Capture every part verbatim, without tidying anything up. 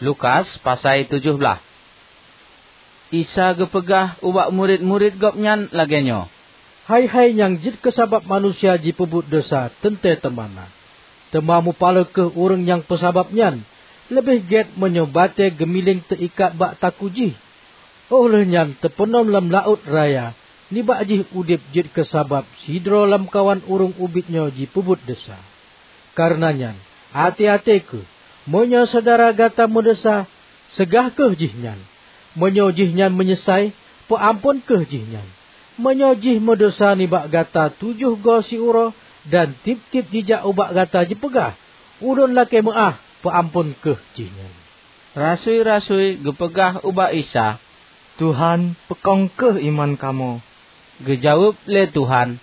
Lukas pasai tujoh blaih. Isa geupeugah ubak murit-murit Gobnyan lagée nyoe, "Hai-hai nyang jeuet keu sabab manusia jipeubuet desya teuntée teuma na. Teuma mupaloe kheueh ureuëng nyang peusabab nyan. Leubeh gét meunyoe batée geumiléng teuikat bak takue jih, óh lheueh nyan teupeunom lam laôt raya. Nibak jih udeb jeuet keu sabab sidroe lamkawan ureuëng ubit nyoe jipeubuet desya. Kareuna nyan, até-até kheueh! Meunyoe syedara gata meudesya, seugah kheueh jihnyan. Meunyoe jihnyan meunyeusai, peuamphon kheueh jihnyan. Meunyoe jih meudesya nibak gata tujoh goe siuroe, dan tieb-tieb jijak ubak gata jipeugah, 'Ulôn lakée meuáh,' peuamphon kheueh jihnyan." Rasui-rasui geupeugah ubak Isa, "Tuhan, peukong kheueh iman kamoe." Geujaweueb lé Tuhan,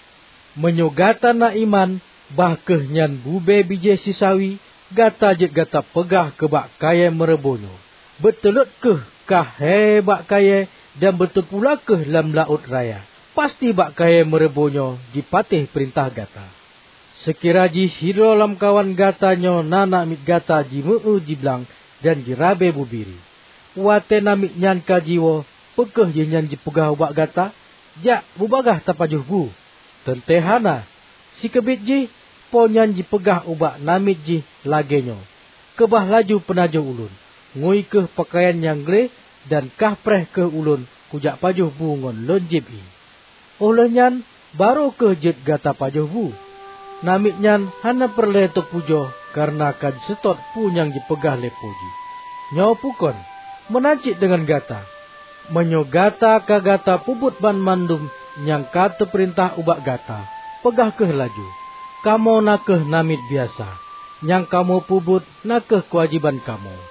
"Meunyoe gata na iman, bah kheueh nyan bubée bijéh sisawi, gata jeuet gata peugah keu bak kayée meureubo nyoe, 'Beutulot kheueh kah hé bak kayée dan beuteupula kheueh lam laôt raya,' pasti bak kayée meureubo nyoe jipatéh peurintah gata. Seukira jih sidroe lamkawan gata nyoe na namiet gata jimeu-eu jiblang dan jirabe bubiri, watée namiet nyan ka jiwoe, peu kheueh jihnyan jipeugah ubak gata, 'Jak, bubagaih tapajoh bu'? Teuntée hana! Sikeubiet jih, po nyan jipeugah ubak namiet jih lagée nyoe, 'Keubah laju peunajoh ulôn, ngui kheueh peukayan nyang gleh dan kah preh kheueh ulôn kujak pajoh bu ngon lôn jieb ié. Óh lheueh nyan barô kheueh jeuet gata pajoh bu.' Namiet nyan hana peureulée teupujoe kareuna ka jiseutôt peue nyang jipeugah lé po jih. Nyoe peue kon? Meunan cit deungon gata. Meunyoe gata ka gata peubuet banmandum nyang ka teupeurintah ubak gata, peugah kheueh laju, 'Kamoe na kheueh namiet biasa. Nyang kamoe peubuet na kheueh keuwajéban kamoe.'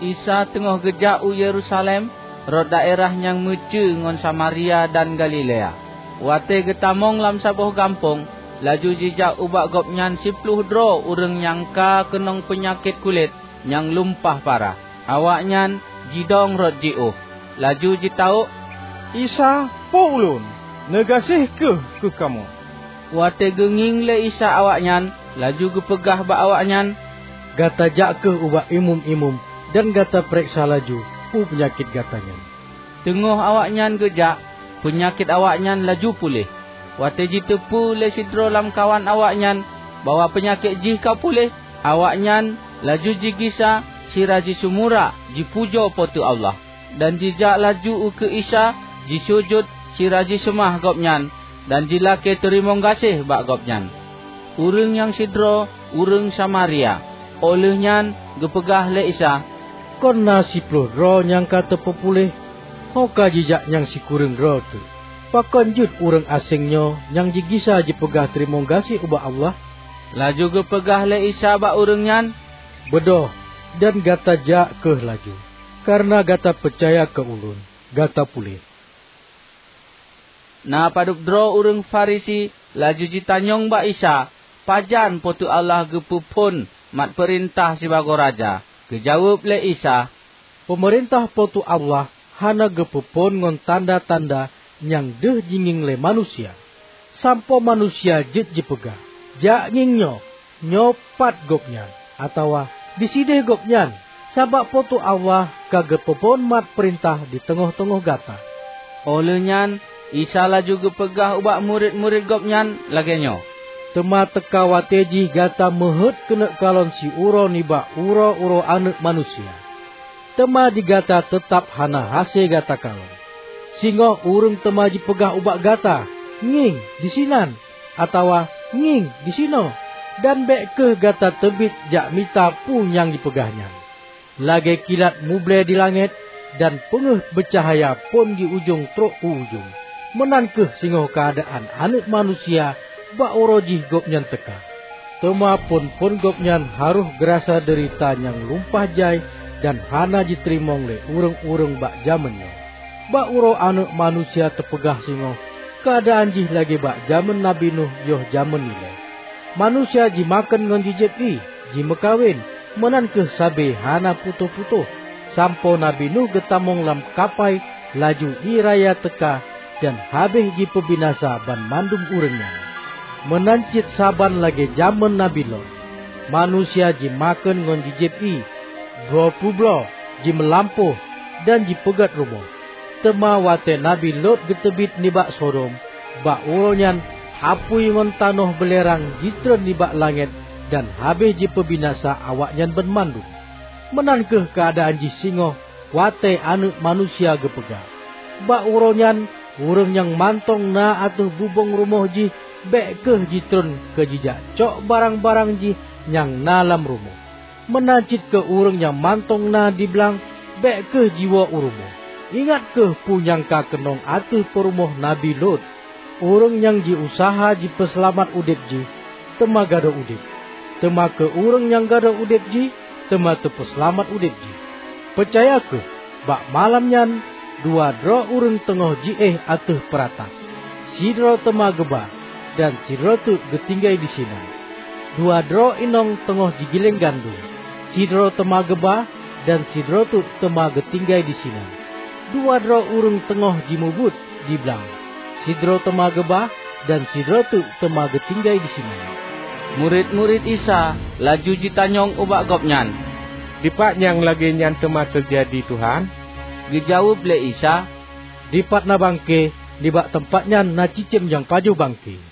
Isa teungoh geujak u Yerusalem, rot daerah nyang meucue ngon Samaria dan Galilea. Watée geutamong lam saboh gampông, laju jijak ubak Gobnyan siploh droe ureuëng nyang ka keunong peunyakét kulét nyang lumpah parah. Awaknyan jidong rot jiôh, laju jitawök, "Isa, Po ulôn, neugaséh kheueh keu kamoe!" Watée geungieng lé Isa awaknyan, laju geupeugah bak awaknyan, "Gata jak kheueh ubak imeum-imeum dan gata peureksa laju peue peunyakét gata nyan." Teungoh awaknyan geujak, peunyakét awaknyan laju puléh. Watée jiteupeu lé sidroe lamkawan awaknyan bahwa peunyakét jih ka puléh, awaknyan laju jigisa sira jisumurak jipujoe Po teu Allah, dan jijak laju ukeue Isa, jisujut sira jiseumah Gobnyan, dan jilakée teurimong gaséh bak Gobnyan. Ureuëng nyang sidroe ureuëng Samaria. Óh lheueh nyan geupeugah lé Isa, "Kon na siploh droe nyang ka teupeupuléh, ho ka jijak nyang sikureueng droe teuk. Pakon jeuet ureuëng aséng nyoe nyang jigisa jipeugah teurimong gaséh ubak Allah?" Laju geupeugah lé Isa bak ureuëng nyan, "Beudôh, dan gata jak kheueh laju, kareuna gata peucaya keu Ulôn, gata puléh." Na padub droe ureuëng Farisi laju jitanyong bak Isa, pajan Po teu Allah geupeuphon mat peurintah sibagoe raja. Geujaweueb lé Isa, "Peumeurintah Po teu Allah hana geupeuphon ngon tanda-tanda nyang deuh jingieng lé manusia, sampoe manusia jeuet jipeugah, 'Jak ngieng nyoe, nyoe pat Gobnyan,' atawa, 'Disideh Gobnyan,' sabab Po teu Allah ka geupeuphon mat peurintah di teungoh-teungoh gata." Óh lheueh nyan Isa laju geupeugah ubak murit-murit Gobnyan lagée nyoe, "Teuma teuka watée jih gata meuheuét keuneuk kalon siuroe nibak uroe-uroe Aneuëk Manusia. Teuma di gata teutab hana hase gata kalon. Singoh ureuëng teuma jipeugah ubak gata, 'Ngieng, disinan!' atawa, 'Ngieng, disinoe!' Dan bék kheueh gata teubiet jak mita peue nyang jipeugah nyan. Lagée kilat muble di langét dan peungeuh beucahya phon di ujong trok u ujong, meunan kheueh singoh keuadaan Aneuëk Manusia bak uroe jih Gobnyan teuka. Teuma phon-phon Gobnyan harôh geurasa deurita nyang lumpah jai dan hana jiteurimong lé ureuëng-ureuëng bak jamén nyoe. Bak uroe Aneuëk Manusia teupeugah singoh, keuadaan jih lagée bak jamén Nabi Nuh yoh jamén ilée. Manusia jimakheun ngon jijieb ié, jimeukawen, meunan kheueh sabe hana putôh-putôh, sampoe Nabi Nuh geutamong lam kapai, laju ié raya teuka dan habéh jipeubinasa banmandum ureuëng nyan. Meunan cit saban lagée jamén Nabi Lot, manusia jimakheun ngon jijieb ié, Droe peubloe jimeulampôh dan jipeugét rumoh. Teuma watée Nabi Lot geuteubiet nibak Sodom, bak uroe nyan apui ngon tanoh beulerang jitreun nibak langét dan habéh jipeubinasa awaknyan banmandum. Meunan kheueh keuadaan jih singoh watée Aneuëk Manusia geupeugah. Bak uroe nyan, ureuëng nyang mantong na ateueh bubông rumoh jih bék kheueh jitreun keu jijak cok barang-barang jih nyang na lam rumoh. Meunan cit keu ureuëng nyang mantong na di blang, bék kheueh jiwoe u rumoh. Ingat kheueh peue nyang ka keunong ateueh peurumoh Nabi Lot. Ureuëng nyang jiuseuha jipeuseulamat udeb jih, teuma gadôh udeb. Teuma keu ureuëng nyang gadôh udeb jih, teuma teupeuseulamat udeb jih. Peucaya kheueh, bak malam nyan dua droe ureuëng teungoh jiéh ateueh peuratah. Sidroe teuma geuba, dan sidroe teuk geutinggai disinan. Dua droe inong teungoh jigiléng gandom. Sidroe teuma geuba, dan sidroe teuk teuma geutinggai disinan. Dua droe ureuëng teungoh jimubuet di blang. Sidroe teuma geuba, dan sidroe teuk teuma geutinggai disinan." Murit-murit Isa laju jitanyong ubak Gobnyan, "Dipat nyang lagée nyan teuma teujadi, Tuhan?" Geujaweueb lé Isa, "Dipat na bangke, nibak teumpat nyan na cicém nyang pajoh bangke."